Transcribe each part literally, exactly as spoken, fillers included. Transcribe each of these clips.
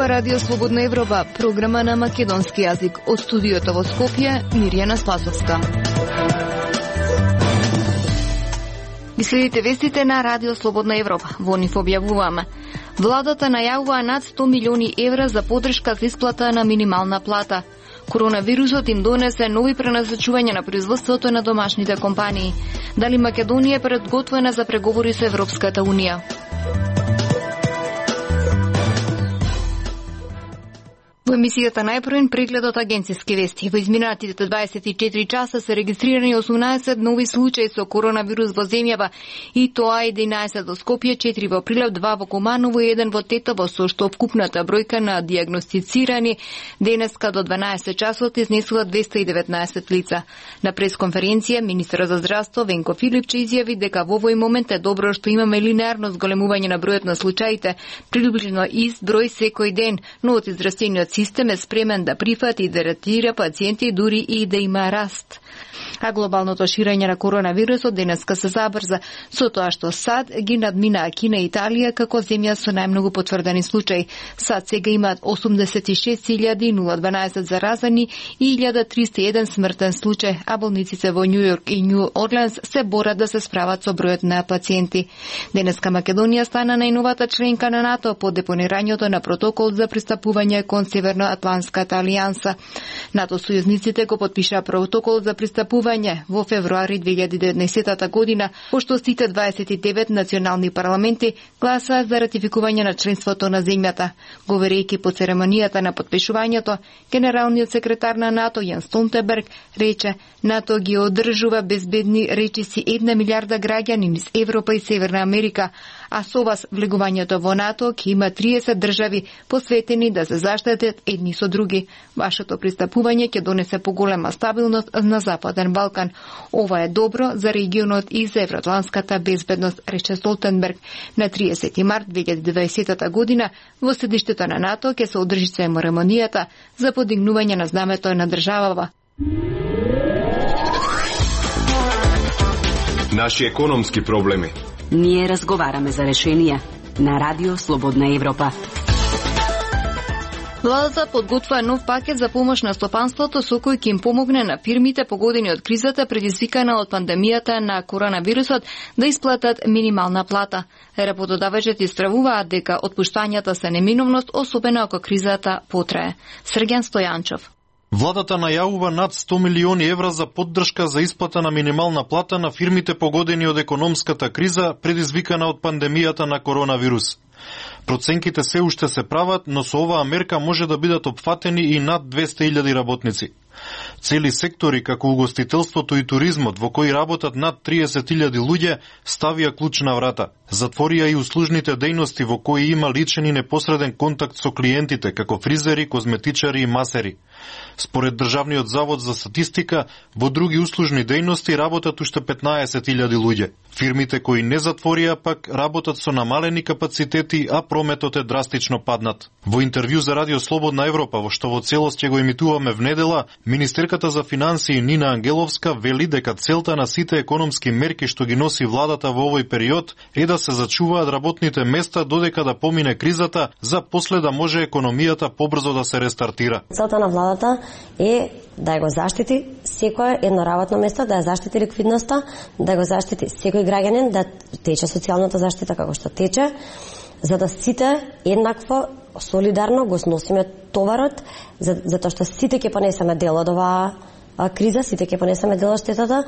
Ова Радио Слободна Европа, програма на македонски јазик. Од студиото во Скопје, Мирјана Спасовска. Ги следите вестите на Радио Слободна Европа. Во нив објавуваме. Владата најавува над сто милиони евра за поддршка за исплата на минимална плата. Коронавирусот им донесе нови пренасочувања на производството на домашните компании. Дали Македонија е предготвена за преговори со Европската Унија? Во емисијата најпрвен преглед од агенцијски вести. Во изминатите дваесет и четири часа се регистрирани осумнаесет нови случаи со коронавирус во земјава, и тоа единаесет во Скопје, четири во Прилеп, два во Куманово и еден во Тетово, со што вкупната бројка на дијагностицирани денеска до дванаесет часот изнесува двесте и деветнаесет лица. На пресконференција министерот за здравство Венко Филипче изјави дека во овој момент е добро што имаме линеарно зголемување на бројот на случаите, приближно ист број секој ден, но од издрастениот систем е спремен да прифати и да ретира пациенти дури и да има раст. А глобалното ширење на коронавирусот денеска се забрза, со тоа што САД ги надмина Кина и Италија како земја со најмногу потврдени случаи. САД сега имаат осумдесет и шест илјади дванаесет заразени и илјада триста и еден смртен случај, а болниците во Њу Јорк и Њу Орлеанс се борат да се справат со бројот на пациенти. Денеска Македонија стана најновата членка на НАТО по депонирањето на протокол за пристапување кон Северноатлантската алијанса. НАТО сојузниците го потпиша протокол за пристапување во февруари две илјади и деветнаесетта година, пошто сите дваесет и девет национални парламенти гласаа за ратификување на членството на земјата. Говорејќи по церемонијата на потпишувањето, генералниот секретар на НАТО Јанс Столтенберг рече: НАТО ги одржува безбедни речиси една милиарда граѓани низ Европа и Северна Америка, а со вас влегувањето во НАТО ќе има триесет држави посветени да се заштитат едни со други. Вашето пристапување ќе донесе поголема стабилност на Западен Балкан. Ова е добро за регионот и за евроатлантската безбедност, рече Столтенберг. На триесети март две илјади и дваесетта година во седиштето на НАТО ќе се одржи церемонијата за подигнување на знамето на државава. Наши економски проблеми. Ние разговараме за решенија на Радио Слободна Европа. Владата подготвува нов пакет за помош на стопанството со кој ќе им помогне на фирмите погодени од кризата предизвикана од пандемијата на коронавирусот да исплатат минимална плата. Работодавачите истравуваат дека отпуштањата се неминовност, особено ако кризата потрае. Срѓан Стојанчов. Владата најавува над сто милиони евра за поддршка за исплата на минимална плата на фирмите погодени од економската криза предизвикана од пандемијата на коронавирус. Проценките се уште се прават, но со оваа мерка може да бидат опфатени и над двесте илјади работници. Цели сектори како угостителството и туризмот, во кои работат над триесет илјади луѓе, ставија клуч на врата. Затворија и услужните дејности во кои има личен и непосреден контакт со клиентите, како фризери, козметичари и масери. Според Државниот завод за статистика, во други услужни дејности работат уште петнаесет илјади луѓе. Фирмите кои не затворија пак работат со намалени капацитети, а прометот е драстично паднат. Во интервју за Радио Слободна Европа, во што во целост ќе го емитуваме внедела, министерката за финансии Нина Ангеловска вели дека целта на сите економски мерки што ги носи владата во овој период е да се зачуваат работните места додека да помине кризата, за после да може економијата побрзо да се рестартира. Целта на владата е да го заштити секое едно работно место, да ја заштити ликвидноста, да го заштити секој граѓанин, да тече социјалната заштита како што тече, за да сите еднакво солидарно го сносиме товарот, за, затоа што сите ќе понесеме дел од оваа криза, сите ќе понесеме дел од штетата.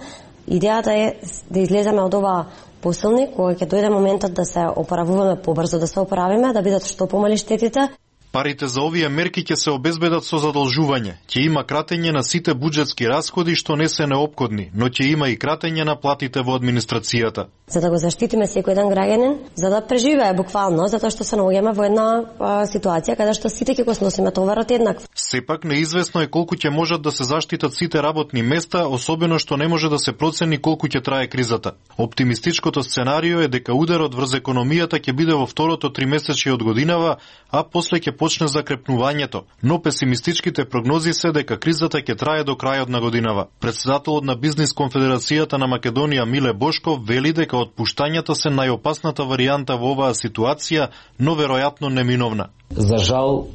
Идејата е да излеземе од оваа посилни, кога ќе дојде моментот да се опоравуваме побрзо, да се оправиме, да бидат што помали штетите. Парите за овие мерки ќе се обезбедат со задолжување. Ќе има кратење на сите буџетски расходи што не се неопходни, но ќе има и кратење на платите во администрацијата. За да го заштитиме секој еден граѓанин, за да преживее буквално, затоа што се наоѓаме во една а, ситуација каде што сите ќе го сносиме товарот еднакво. Сепак неизвестно е колку ќе можат да се заштитат сите работни места, особено што не може да се процени колку ќе трае кризата. Оптимистичкото сценарио е дека ударот врз економијата ќе биде во второто тримесечје од годинава, а после ќе почне закрепнувањето, но песимистичките прогнози се дека кризата ќе трае до крајот на годинава. Председателот на Бизнис конфедерацијата на Македонија Миле Бошков вели дека отпуштањата се најопасната варијанта во оваа ситуација, но веројатно неминовна. За жал,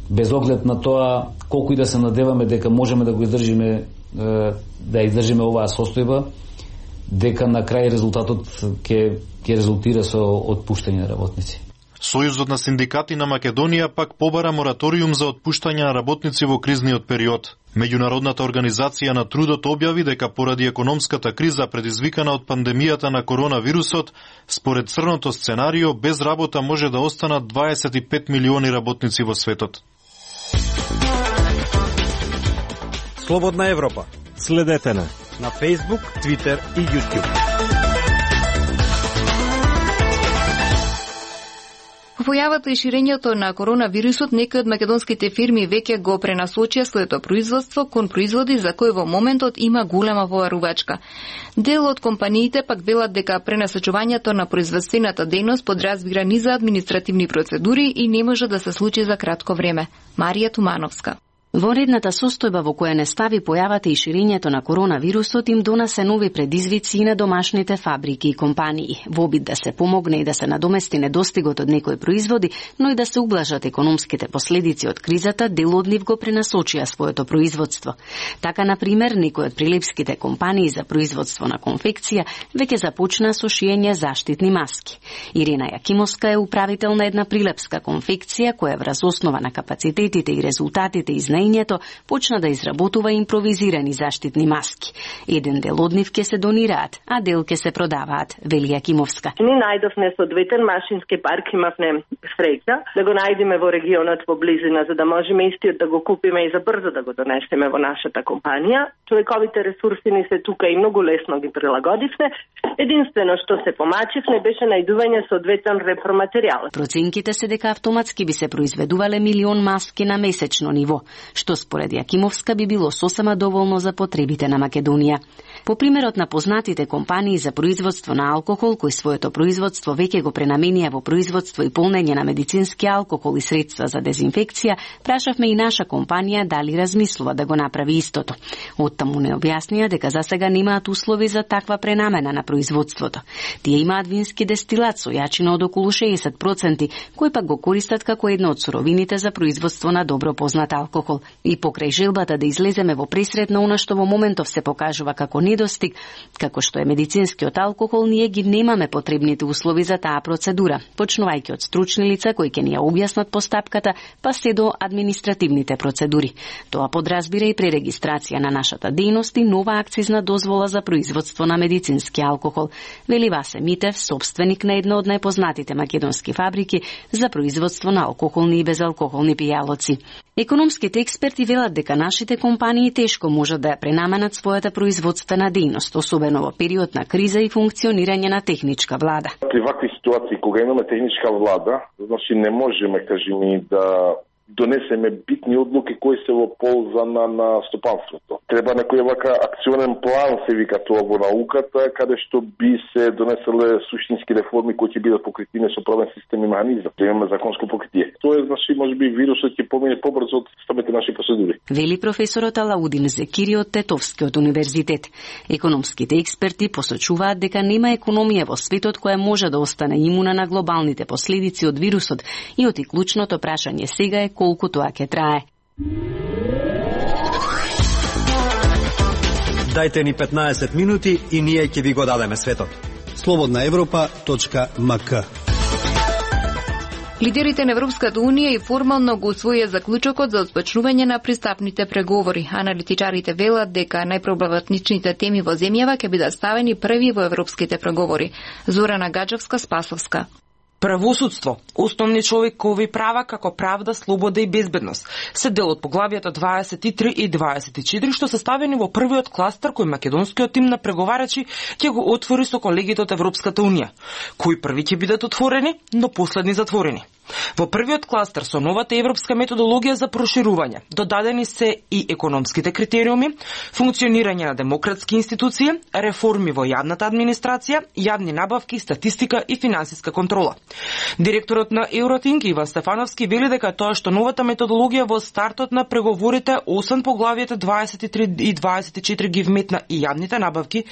без оглед на тоа колку и да се надеваме дека можеме да го издржиме, да издржиме оваа состојба, дека на крај резултатот ќе ќе резултира со отпуштање на работници. Сојузот на синдикати на Македонија пак побара мораториум за отпуштање на работници во кризниот период. Меѓународната организација на трудот објави дека поради економската криза предизвикана од пандемијата на коронавирусот, според црното сценарио без работа може да останат дваесет и пет милиони работници во светот. Слободна Европа. Следете на на Facebook, Twitter и YouTube. Појавата и ширењето на коронавирусот, некои од македонските фирми веќе го пренасочија своето производство кон производи за кои во моментот има голема поварувачка. Дел од компаниите пак велат дека пренасочувањето на производствената дејност подразбира низа административни процедури и не може да се случи за кратко време. Марија Тумановска. Во редната состојба во која не стави појавата и ширењето на коронавирусот им донесе нови предизвици и на домашните фабрики и компании, во обид да се помогне и да се надомести недостигот од некои производи, но и да се ублажат економските последици од кризата, дел од нив го пренасочија своето производство. Така, на пример, некои од прилепските компании за производство на конфекција веќе започна со шиење заштитни маски. Ирина Јакимовска е управител на една прилепска конфекција која врз основа на капацитетите и резултатите из почна да изработува импровизирани заштитни маски. Еден дел од нив ќе се донираат, а дел ќе се продаваат, вели Јакимовска. Ни најдовме соодветен машински парк, имавме среќа да го најдеме во регионот во близина, за да можеме истиот да го купиме и за брзо да го донесеме во нашата компанија. Човековите ресурси ни се тука и многу лесно ги прилагодивме. Единствено што се помачивме беше најдување соодветен репроматеријал. Проценките се дека автоматски би се произведувале милион маски на месечно ниво, што според Јакимовска би било сосема доволно за потребите на Македонија. По примерот на познатите компании за производство на алкохол, кои своето производство веќе го пренаменија во производство и полнење на медицински алкохол и средства за дезинфекција, прашавме и наша компанија дали размислува да го направи истото. Оттаму не објаснија дека засега немаат услови за таква пренамена на производството. Тие имаат вински дестилат со јачина од околу шеесет проценти, кои пак го користат како една од суровините за производство на добро познат алкохол. И покрај желбата да излеземе во пресред на она што во моментов се покажува како недостиг, како што е медицинскиот алкохол, ние ги немаме потребните услови за таа процедура, почнувајќи од стручни лица кои ќе ни ја објаснат постапката, па се до административните процедури. Тоа подразбира и пререгистрација на нашата дејност и нова акцизна дозвола за производство на медицински алкохол, вели Васе Митев, собственик на една од најпознатите македонски фабрики за производство на алкохолни и безалкохолни пијалоци. Економските експерти велат дека нашите компании тешко можат да ја пренаменат својата производствена дејност, особено во период на криза и функционирање на техничка влада. При вакви ситуации, кога имаме техничка влада, значи не можеме, кажеме, да донесеме битни одлуки кои се во полза на, на стопанството. Треба некој вака акционен план, се вика тоа во науката, каде што би се донеселе суштински реформи кои ќе бидат покритени со правен систем и механизам. Да имаме законско покритие. Тоа е, значи, можеби вирусот ќе помине побрзо од самите наши процедури. Вели професорот Алаудин Зекири од Тетовскиот универзитет. Економските експерти посочуваат дека нема економија во светот која може да остане имуна на глобалните последици од вирусот и оти клучното прашање сега е колку тоа ќе трае. Дајте ни петнаесет минути и ние ќе ви го дадеме светот. слободна европа точка ем ка. Лидерите на Европската Унија и формално го усвоија заклучокот за отпочнување на пристапните преговори. Аналитичарите велат дека најпроблематичните теми во земјава ќе бидат ставени први во европските преговори. Зорана Гаджевска, Спасовска. Правосудство, основни човекови права како правда, слобода и безбедност се дел од поглавјата дваесет и три и дваесет и четири што се ставени во првиот кластер кој македонскиот тим на преговарачи ќе го отвори со колегите од Европската Унија, кои први ќе бидат отворени, но последни затворени. Во првиот кластер со новата европска методологија за проширување додадени се и економските критериуми, функционирање на демократски институции, реформи во јавната администрација, јавни набавки, статистика и финансиска контрола. Директорот на Евротинг Иван Стефановски вели дека тоа што новата методологија во стартот на преговорите освен поглавјата дваесет и три и дваесет и четири ги вметна и јавните набавки,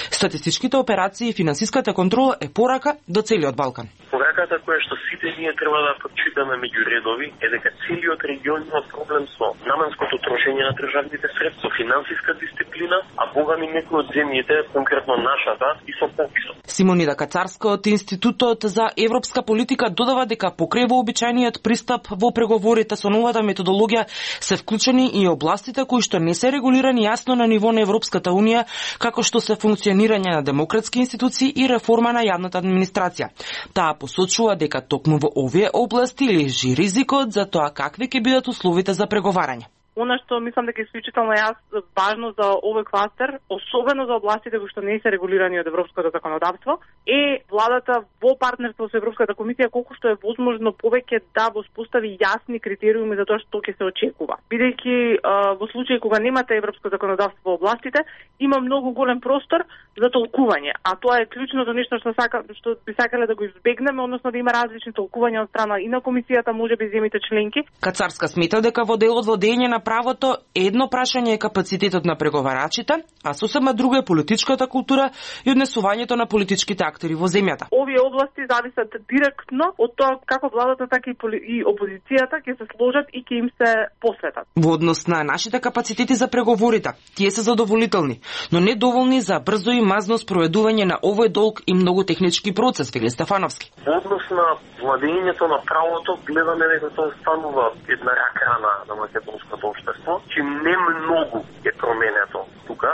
статистичките операции и финансиската контрола е порака до целиот Балкан. Пораката која што сите сите ние треба да прочитаме меѓу редови е дека целиот регион има проблем со наменското трошење на државните средства, финансиска дисциплина, а богами некои од земјите, конкретно нашата, и со пописот. Симонида Кацарска од Институтот за европска политика додава дека покрај вообичаениот пристап во преговорите со новата методологија се вклучени и областите кои што не се регулирани јасно на ниво на Европската унија, како што се функционирање на демократски институции и реформа на јавната администрација. Таа посочува дека токму во овие области лежи ризикот за тоа какви ќе бидат условите за преговарање. Она што мислам дека е исклучително јас важно за овој кластер, особено за областите кои што не се регулирани од европското законодавство, е владата во партнерство со Европската комисија колку што е возможно повеќе да воспостави јасни критериуми за тоа што ќе се очекува. Бидејќи во случај кога немате европско законодавство во областите, има многу голем простор за толкување, а тоа е клучното нешто што сака што би сакале да го избегнеме, односно да има различни толкувања од страна и на комисијата, можеби земјите членки. Кацарска смета дека во делот водење на правото едно прашање е капацитетот на преговарачите, а сосема друго е политичката култура и однесувањето на политичките актери во земјата. Овие области зависат директно од тоа како владата, така и, поли... и опозицијата ќе се сложат и ќе им се посветат. Во однос на нашите капацитети за преговорите, тие се задоволителни, но не доволни за брзо и мазно спроведување на овој долг и многу технички процес, вели Стефановски. Во однос на владењето на правото, гледаме дека тоа станува една рак-рана на македонското општество, че не многу е променето тука.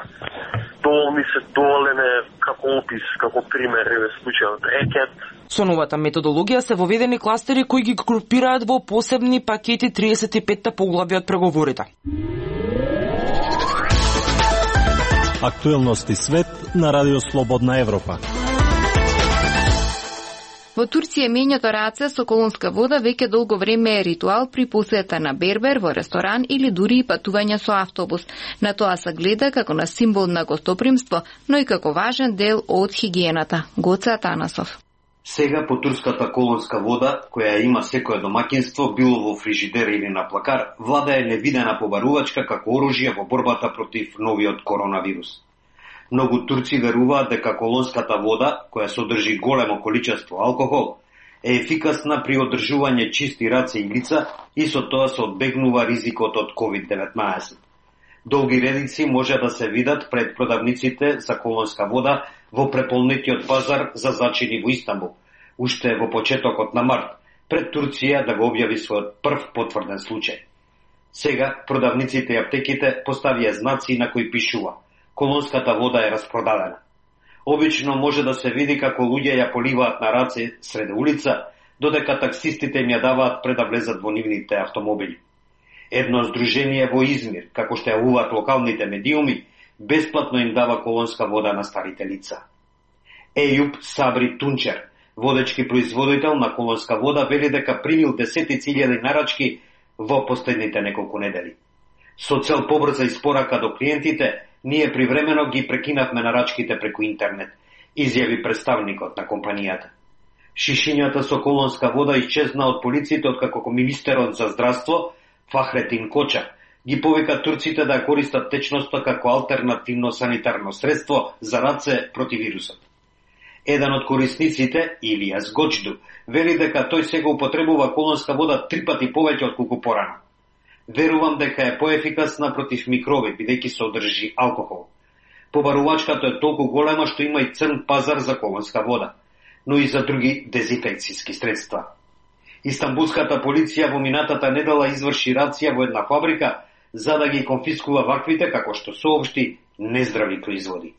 Доволни се доволене како опис, како пример е случајот Рекет. Со новата методологија се воведени кластери кои ги групираат во посебни пакети триесет и пет поглавји од преговорите. Актуелности свет на Радио Слободна Европа. Во Турција мењето раце со колонска вода веќе долго време е ритуал при посета на бербер, во ресторан или дури и патување со автобус. На тоа се гледа како на символ на гостопримство, но и како важен дел од хигиената. Гоце Атанасов. Сега по турската колонска вода, која има секое домаќинство, било во фрижидер или на плакар, влада е невидена побарувачка како оружје во борбата против новиот коронавирус. Многу турци веруваат дека колонската вода, која содржи големо количество алкохол, е ефикасна при одржување чисти раце и лица и со тоа се одбегнува ризикот од ковид деветнаесет. Долги редици може да се видат пред продавниците за колонска вода во преполнетиот пазар за зачини во Истанбул, уште во почетокот на март, пред Турција да го објави својот прв потврден случај. Сега продавниците и аптеките поставија знаци на кои пишува: колонската вода е распродадена. Обично може да се види како луѓе ја поливаат на раце среде улица, додека таксистите им ја даваат пред да влезат во нивните автомобили. Едно здружение во Измир, како што јавуваат локалните медиуми, бесплатно им дава колонска вода на старите лица. Ејуб Сабри Тунчер, водечки производител на колонска вода, вели дека примил десетици илјади нарачки во последните неколку недели. Со цел побрза испорака до клиентите, ние привремено ги прекинавме нарачките преку интернет, изјави представникот на компанијата. Шишињата со колонска вода исчезна од полициите откако министерот за здравство Фахретин Коча ги повика турците да ја користат течноста како алтернативно санитарно средство за раце против вирусот. Еден од корисниците, Илијас Гоџду, вели дека тој сега употребува колонска вода три пати повеќе од колку порано. Верувам дека е поефикасна против микроби, бидејќи се одржи алкохол. Побарувачката е толку голема што има и црн пазар за колонска вода, но и за други дезинфекцијски средства. Истанбулската полиција во минатата недела изврши рација во една фабрика за да ги конфискува ваквите, како што соопшти, нездрави производи.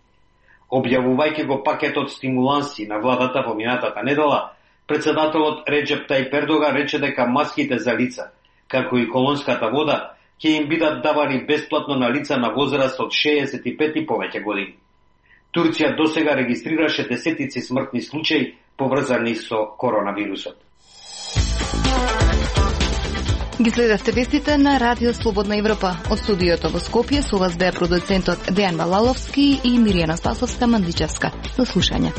Објавувајќи го пакетот стимуланси на владата во минатата недела, председателот Реджеп Тајип Ердоган рече дека маските за лица, како и колонската вода, ќе им бидат давани бесплатно на лица на возраст од шеесет и пет и повеќе години. Турција досега регистрираше десетици смртни случаи поврзани со коронавирусот. Ги следавте вестите на Радио Слободна Европа. Од студиото во Скопје со вас беа продуцентот Дејан Малаловски и Миријана Спасовска-Мандичевска. До слушање.